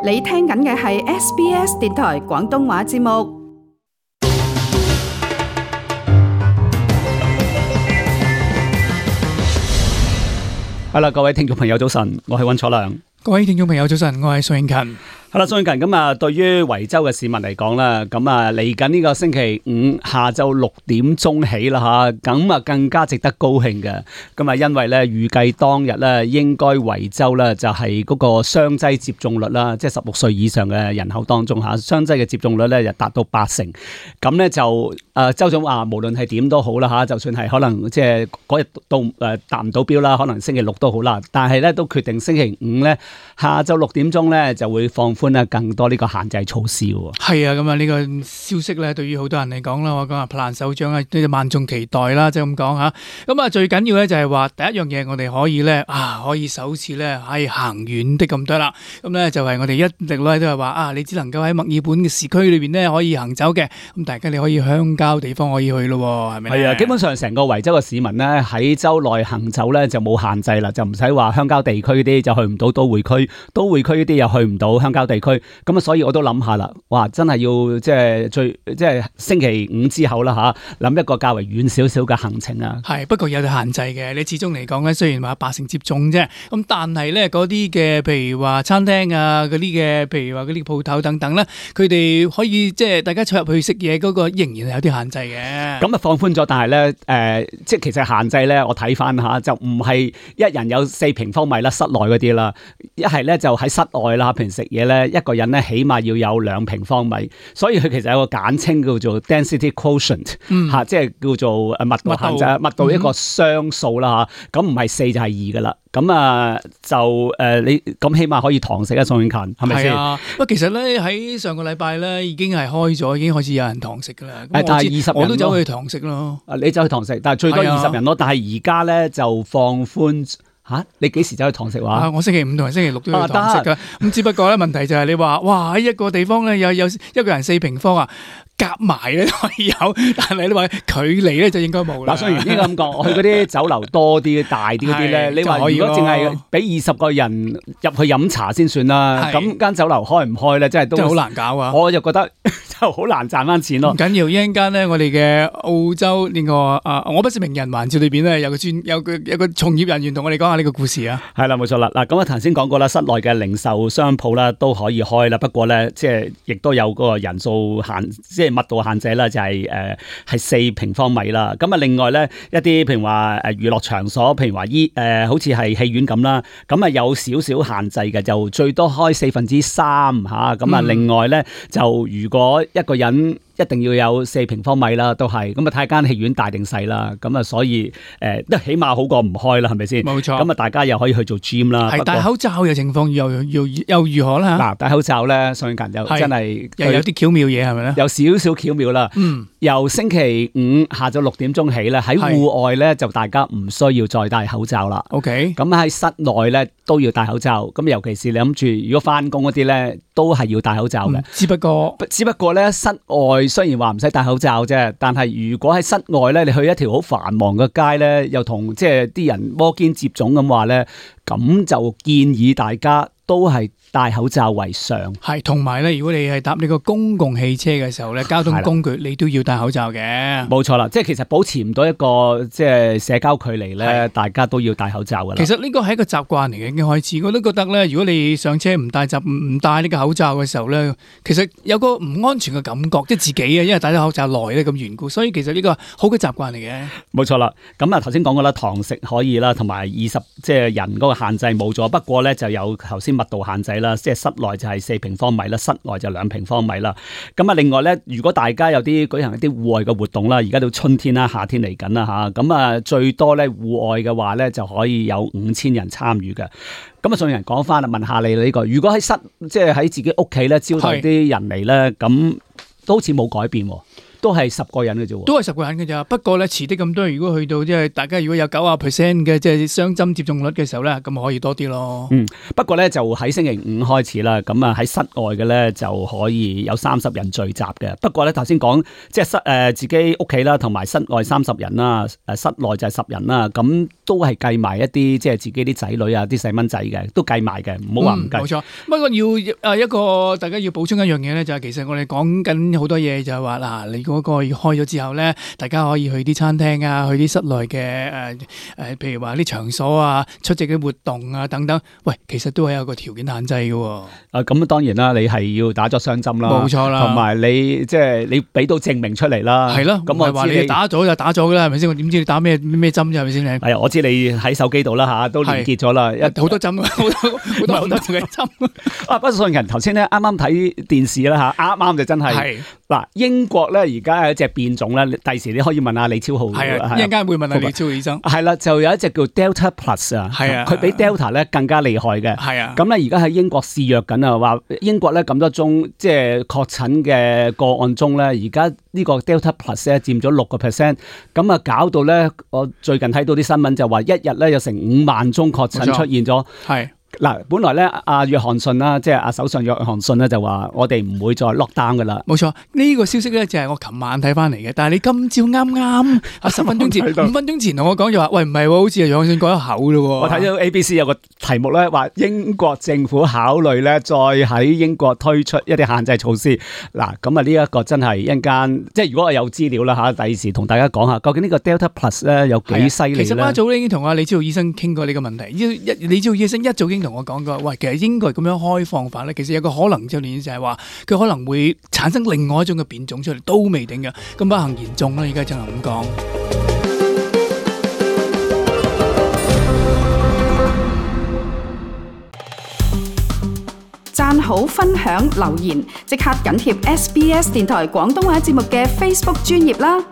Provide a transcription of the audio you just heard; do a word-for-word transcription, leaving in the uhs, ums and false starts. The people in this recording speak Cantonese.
你聽緊嘅係 S B S 電台廣東話節目。係啦，各位聽眾朋友早晨，我係溫楚良。各位聽眾朋友早晨，我係宋永勤。係啦，宋永勤，咁啊，對於維州嘅市民嚟講啦，咁啊嚟緊呢個星期五下晝六點鐘起啦吓，咁啊更加值得高興嘅。咁啊，因為咧預計當日咧應該維州咧就係嗰個雙劑接種率啦，即係十六歲以上嘅人口當中吓，雙劑嘅接種率咧就達到八成。咁咧就誒州長話，無論係點都好啦吓，就算係可能即係嗰日都誒達唔到標啦，可能星期六都好啦，但係咧都決定星期五咧下晝六點鐘咧就會放寬咧更多呢個限制措施喎。係啊，咁啊呢個消息咧，對於好多人嚟講啦，我講啊，普蘭首長啊，呢就萬眾期待啦，即係咁講吓。咁啊，最緊要咧就係話第一樣嘢，我哋可以咧啊，可以首次咧係行遠的咁多啦。咁咧就係我哋一直咧都係話啊，你只能夠喺墨爾本嘅市區裏邊咧可以行走嘅。咁大家你可以鄉郊地方可以去咯，係咪？係啊，基本上成個維州嘅市民咧喺州內行走咧就冇限制啦，就唔使話鄉郊地區啲就去唔到都會區，都會區呢啲又去唔到鄉郊地區。咁啊，所以我都諗下啦，哇，真係要即係最即係星期五之後啦吓，諗一個較為遠少少嘅行程啊。係，不過有限制嘅。你始終嚟講咧，雖然話八成接種啫，咁但係咧嗰啲嘅，譬如話餐廳啊，嗰啲嘅，譬如話嗰啲鋪頭等等咧，佢哋可以即係大家坐入去食嘢嗰個，仍然係有啲限制嘅。咁啊放寬咗，但係咧誒，即係其實限制咧，我睇翻下就唔係一人有四平方米啦，室內嗰啲啦，一係咧就喺室外啦，平時食嘢咧一個人咧起碼要有兩平方米，所以佢其實有個簡稱叫做 density quotient 吓、嗯啊，即係叫做誒密度限制，密度一個雙數啦吓，咁唔係四就係二噶啦。咁啊就誒、呃、你咁起碼可以堂食啊，宋永勤係咪先？係啊，不過其實咧喺上個禮拜咧已經係開咗，已經開始有人堂食噶啦。但係二十人我都走去堂食咯。啊，你走去堂食，但係最多二十人咯。但係而家咧就放寬吓、啊，你幾時走去堂食話、啊？我星期五同埋星期六都要堂食噶。咁、啊、只不過咧問題就係你話，哇喺一個地方咧有有一個人四平方啊。夾埋咧可以有，但係你話距離咧就應該冇啦。嗱，雖然應該咁講，我去嗰啲酒樓多啲、大啲嗰啲咧，你話如果淨係俾二十個人入去飲茶先算啦，咁間酒樓開唔開咧，真係都好難搞啊！我就覺得就好難賺翻錢咯。唔緊要，一陣間咧，我哋嘅澳洲呢、這個啊，我不是名人環節裏邊咧有個專有個有個從業人員同我哋講下呢個故事啊。係啦，冇錯啦。嗱，咁我頭先講過啦，室內嘅零售商鋪啦都可以開啦，不過咧即係亦都有嗰個人數限，即係密度限制啦，就係誒係四平方米啦。咁啊，另外咧一啲譬如話誒娛樂場所，譬如話依誒好似係戲院咁啦，咁啊有少少限制嘅，就最多開四分之三吓。咁啊，另外咧就如果一個人一定要有四平方米啦，都係咁啊，睇間戲院大定細啦。咁啊，所以誒都、呃、起碼好過唔開啦，係咪先？冇錯。咁啊，大家又可以去做 gym 啦。係戴口罩嘅情況又又又如何啦？嗱，戴口罩咧，宋永勤又真係又有啲巧妙嘢係咪咧？有少少巧妙啦。嗯。由星期五下晝六點鐘起咧，喺戶外咧就大家唔需要再戴口罩啦。OK。咁喺室內咧都要戴口罩。咁尤其是你諗住如果翻工嗰啲咧，都係要戴口罩嘅、嗯。只不過只不過咧室外。雖然話唔使戴口罩啫，但係如果喺室外咧，你去一條好繁忙嘅街咧，又同即係啲人摩肩接踵咁話咧，咁就建議大家都係戴口罩為上。係，同埋咧，如果你係搭呢個公共汽車嘅時候咧，交通工具你都要戴口罩嘅。冇錯啦，即係其實保持唔到一個即係社交距離咧，大家都要戴口罩噶啦。其實呢個係一個習慣嚟嘅，已經開始。我都覺得咧，如果你上車唔戴習唔戴呢個口罩嘅時候咧，其實有個唔安全嘅感覺，即係自己啊，因為戴咗口罩耐咧咁緣故，所以其實呢個好嘅習慣嚟嘅。冇錯啦，咁啊頭先講過啦，堂食可以啦，同埋二十即係人嗰個限制冇咗，不過咧就有頭先密度限制啦，即係室內就係四平方米啦，室外就兩平方米啦。咁啊，另外咧，如果大家有啲舉行一啲戶外嘅活動啦，而家到春天啦、夏天嚟緊啦吓，咁啊最多咧戶外嘅話咧就可以有五千人參與嘅。咁啊，仲有人講翻啦，問下你呢、這個，如果喺室即係喺自己屋企咧招待啲人嚟咧，咁都好似冇改變喎。都係十個人嘅啫喎，都係十個人嘅咋。不過咧，遲啲咁多，如果去到即係大家如果有九啊 percent 嘅即係雙針接種率嘅時候咧，咁可以多啲咯。嗯，不過咧就喺星期五開始啦，咁啊喺室外嘅咧就可以有三十人聚集嘅。不過咧頭先講即係室誒、呃、自己屋企啦，同埋室外三十人啦，誒室內就係十人啦，咁都係計埋一啲即係自己啲仔女啊、啲細蚊仔嘅，都計埋嘅，唔好話唔計。冇、嗯、錯，不過要誒一個大家要補充一樣嘢咧，就係、是、其實我哋講緊好多嘢，就係話嗱，你嗰個開咗之後咧，大家可以去啲餐廳啊，去啲室內嘅誒誒，譬如話啲場所啊、出席嘅活動啊等等。喂，其實都係有個條件限制嘅。啊，咁當然啦，你係要打咗雙針啦，冇錯啦，同埋你即係你俾到證明出嚟啦。係咯，咁我話你打咗就打咗噶啦，係咪先？我點知你打咩咩針啫？係咪先？係啊，我知你喺手機度啦吓，都連結咗啦，好多針，好多好多好多嘅針。啊，不信人頭先咧，啱啱睇電視啦吓，啱啱就真係嗱，英國咧而家有一隻變種咧，第時你可以問下李超豪。係啊，一陣間會問下李超豪醫生。係啦，就有一隻叫 Delta Plus 啊，係啊，佢比 Delta 咧更加厲害嘅。係啊，咁咧而家喺英國肆虐緊啊，話英國咧咁多宗即係確診嘅個案中咧，而家呢個 Delta Plus 咧佔咗六個 percent，咁啊搞到咧，我最近睇到啲新聞就話一日咧有成五萬宗確診出現咗。係。嗱，本來咧，阿約翰遜啦，即係阿首相約翰遜咧，就話我哋唔會再 lock down 噶啦。冇錯，呢、這個消息咧就係我琴晚睇翻嚟嘅。但係你今朝啱啱啊十分鐘前、五分鐘前同我講就話，喂唔係喎，好似係約翰遜講一口咯。我睇到 A B C 有個題目咧，話英國政府考慮咧，再喺英國推出一啲限制措施。嗱，咁啊呢一個真係一陣間，即係如果我有資料啦嚇，第時同大家講下，究竟呢個 Delta Plus 咧有幾犀利咧？其實我一早已經同阿李超豪醫生傾過呢個問題。一李超豪醫生一早已經同我講過，喂，其實英國咁樣開放法咧，其實有個可能就係就係話佢可能會產生另外一種嘅變種出嚟，都未定嘅。咁不幸言中啦，而家真係咁講。讚好、分享、留言，即刻緊貼 S B S 電台廣東話節目嘅 Facebook 專頁啦！